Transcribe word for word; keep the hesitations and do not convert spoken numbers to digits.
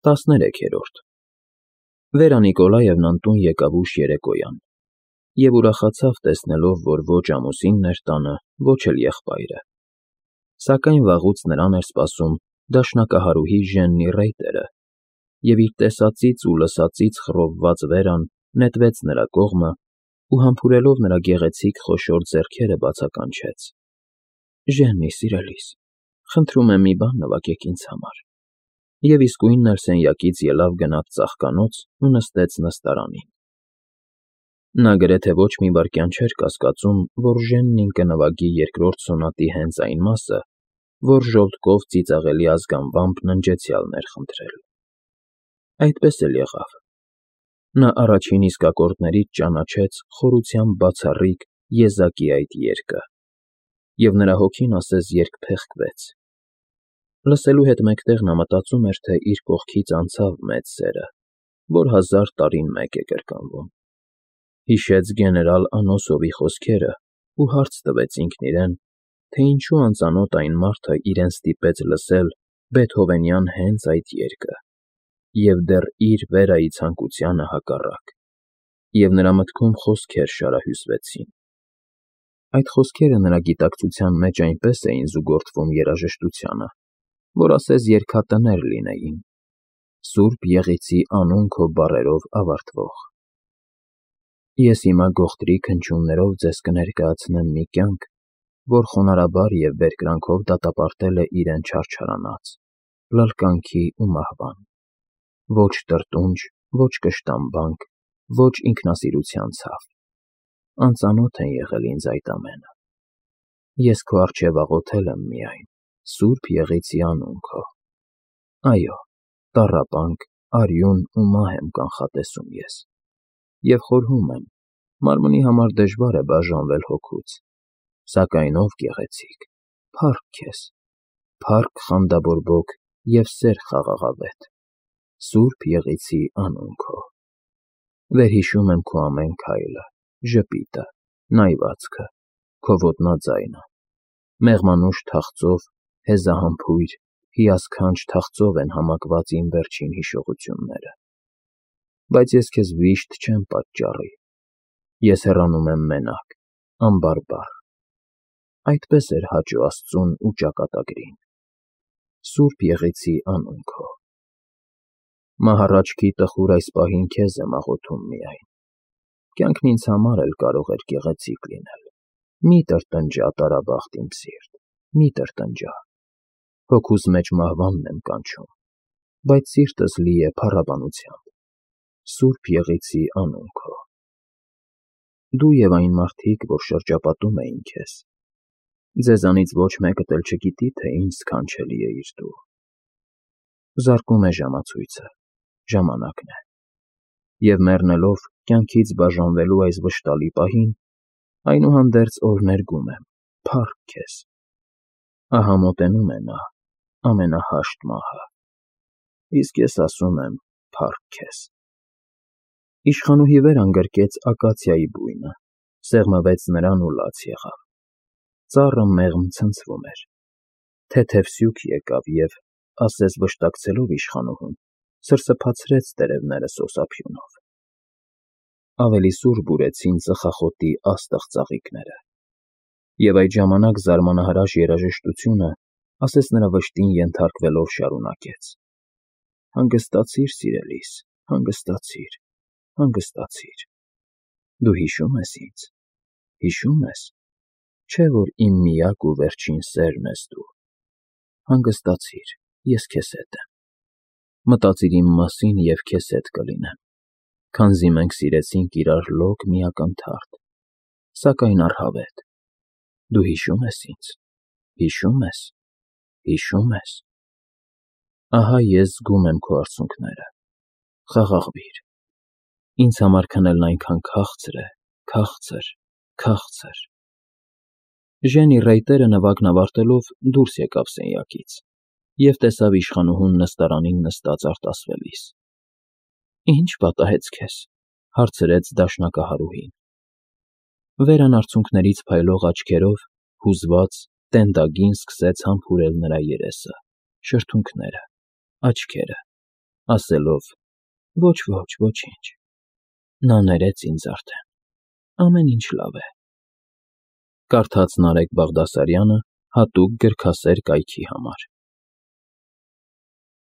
տասներեքերորդ Վերա Նիկոլաևնան տուն եկավ ուշ երեկոյան և ուրախացավ տեսնելով, որ ոչ ամուսինն էր տանը, ոչ էլ եղբայրը, սակայն վաղուց նրան էր սպասում դաշնակահարուհի Ժեննի ռեյտերը, և իր տեսածից ու լսածից խռովված Վերան նետվեց նրա կողմը ու համբուրելով նրա գեղեցիկ խոշոր ձեռքերը բացականչեց. «Ժեննի սիրելիս, խնդրում եմ մի բան նվագեք ինձ համար», և իսկույն էլ սենյակից ելավ գնաց ծաղկանոց ու նստեց նստարանին։ Նա գրեթե ոչ մի վայրկյան չէր կասկածում, որ Ժեննին կնվագի երկրորդ սոնատի հենց այն մասը, որ ժոլտկով ծիծաղելի ազգանվամբ ննջեցյալն էր խնդրել։ Այդպես էլ եղավ։ Նա առաջին իսկ ակորդներից ճանաչեց խորությամբ բացառիկ եզակի այդ երգը, և նրա հոգին ասես երկփեղկվեց։ Լսելու հետ մեկտեղ նա մտածում էր, թե իր կողքից անցավ մեծ սերը, որ հազար տարին մեկ է կրկնվում։ Հիշեց գեներալ Անոսովի խոսքերը ու հարց տվեց ինքն իրեն, թե ինչու անծանոթ այն մարդը իրեն ստիպեց լսել բեթհովենյան հենց այդ երգը, և դեռ իր Վերայի ցանկությանը հակառակ, և նրա մտքում խոսքեր շարահյուսվեցին։ Այդ խոսքերը նրա գիտակցության մեջ այնպես էին զուգորդվում երաժշտությանը, որ ասես երգատներ լինեին, Սուրբ Եղիցի անուն քո բառերով ավարտվող։ Ես հիմա գողտրիկ հնչյուններով ձեզ կներկայացնեմ մի կյանք, որ խոնարհաբար և բերկրանքով դատապարտել է իրեն չարչարանած, լալկանքի ու մահվան։ Ոչ տրտունջ, ոչ կշտամբանք, ոչ ինքնասիրության ցավ։ Անծանոթ են եղել ինձ այդ ամենը։ Ես քո առջև աղոթել եմ միայն, Սուրբ Եղիցի անուն քո։ Այո, տառապանք, արյուն ու մահ եմ կանխատեսում ես, և խորհում եմ, մարմնի համար դժվար է բաժանվել հոգուց, սակայն ով գեղեցիկ, փառք քեզ, փառք խանդաբորբոք և սեր խաղաղավետ, Սուրբ Եղիցի անուն քո։ Վերհիշում եմ քո ամեն քայլը, ժպիտը, նայվածքը, քո ոտնաձայնը, մեղմանուշ թախծով, հեզահամբույր, հիասքանչ թախծով են համակված իմ վերջին հիշողությունները։ Բայց ես քեզ վիշտ չեմ պատճառի, ես հեռանում եմ մենակ, անբարբար։ Այդպես էր հաճո Աստծուն ու ճակատագրին։ Սուրբ Եղիցի անուն քո։ Մահառաչքի տխուր այս պահին քեզ եմ աղոթում միայն։ Կյանքն ինձ համար էլ կարող էր գեղեցիկ լինել։ Մի տրտնջա, տարաբախտ իմ սիրտ, մի տրտնջա։ Հոգուս մեջ մահվանն եմ կանչում, բայց սիրտս լի է փառաբանությամբ, Սուրբ Եղիցի անուն քո։ Դու և այն մարդիկ, որ շրջապատում էին քեզ, ձեզանից ոչ մեկդ էլ չգիտի, թե ինչ սքանչելի է դու։ Զարկում է ժամացույցը, ժամանակն է։ Եվ մեռնելով, կյանքից բաժանվելու այս վշտալի պահին, այնուհանդերձ օրհներգում եմ, փառք քեզ։ Ահա մոտենում է նա, ամենահաշտ մահը, իսկ ես ասում եմ փառք քեզ։ Իշխանուհի Վերան գրկեց ակացիայի բույնը, սեղմվեց նրան ու լաց եղավ։ Ծառը մեղմ ցնցվում էր։ Թեթև սյուք եկավ և, ասես վշտակցելով իշխանուհուն, սրսփացրեց տերևները սոսափյունով։ Ավելի սուր բուրեցին ծխախոտի աստղ ծաղիկները։ Եվ այդ ժամանակ զարմանահրաշ երաժշտությունը, ասես նրա վշտին ենթարկվելով, շարունակեց. «Հանգստացիր, սիրելիս, հանգստացիր, հանգստացիր։ Դու հիշո՞ւմ ես ինձ, հիշո՞ւմ ես, չէ՞ որ իմ միակ ու վերջին սերն ես դու։ Հանգստացիր, ես քեզ հետ եմ։ Մտածիր իմ մասին, և քեզ հետ կլինեմ, քանզի մենք սիրեցինք իրար լոկ մի ակնթարթ, սակայն առհավետ։ Դու հիշո՞ւմ ես ինձ, հիշո՞ւմ ես, հիշո՞ւմ ես։ Ահա ես զգում եմ քո արցունքները, խաղաղվիր։ Ինձ համար քնելն այնքան քաղցր է, քաղցր, քաղցր»։ Ժենի ռեյտերը նվագն ավարտելով դուրս եկավ սենյակից և տեսավ իշխանուհուն նստարանին նստած արտասվելիս։ «Ի՞նչ պատահեց քեզ», հարցրեց դաշնակահարուհին։ Վերան արցունքներից փայլող աչքերով, հուզված, տենդագին սկսեց համբուրել նրա երեսը, շրթունքները, աչքերը, ասելով. «Ոչ, ոչ, ոչինչ»։ Նա ներեց ինձ արդեն, ամեն ինչ լավ է։ Կարդաց Նարեկ Բաղդասարյանը հատուկ գրքասեր կայքի համար։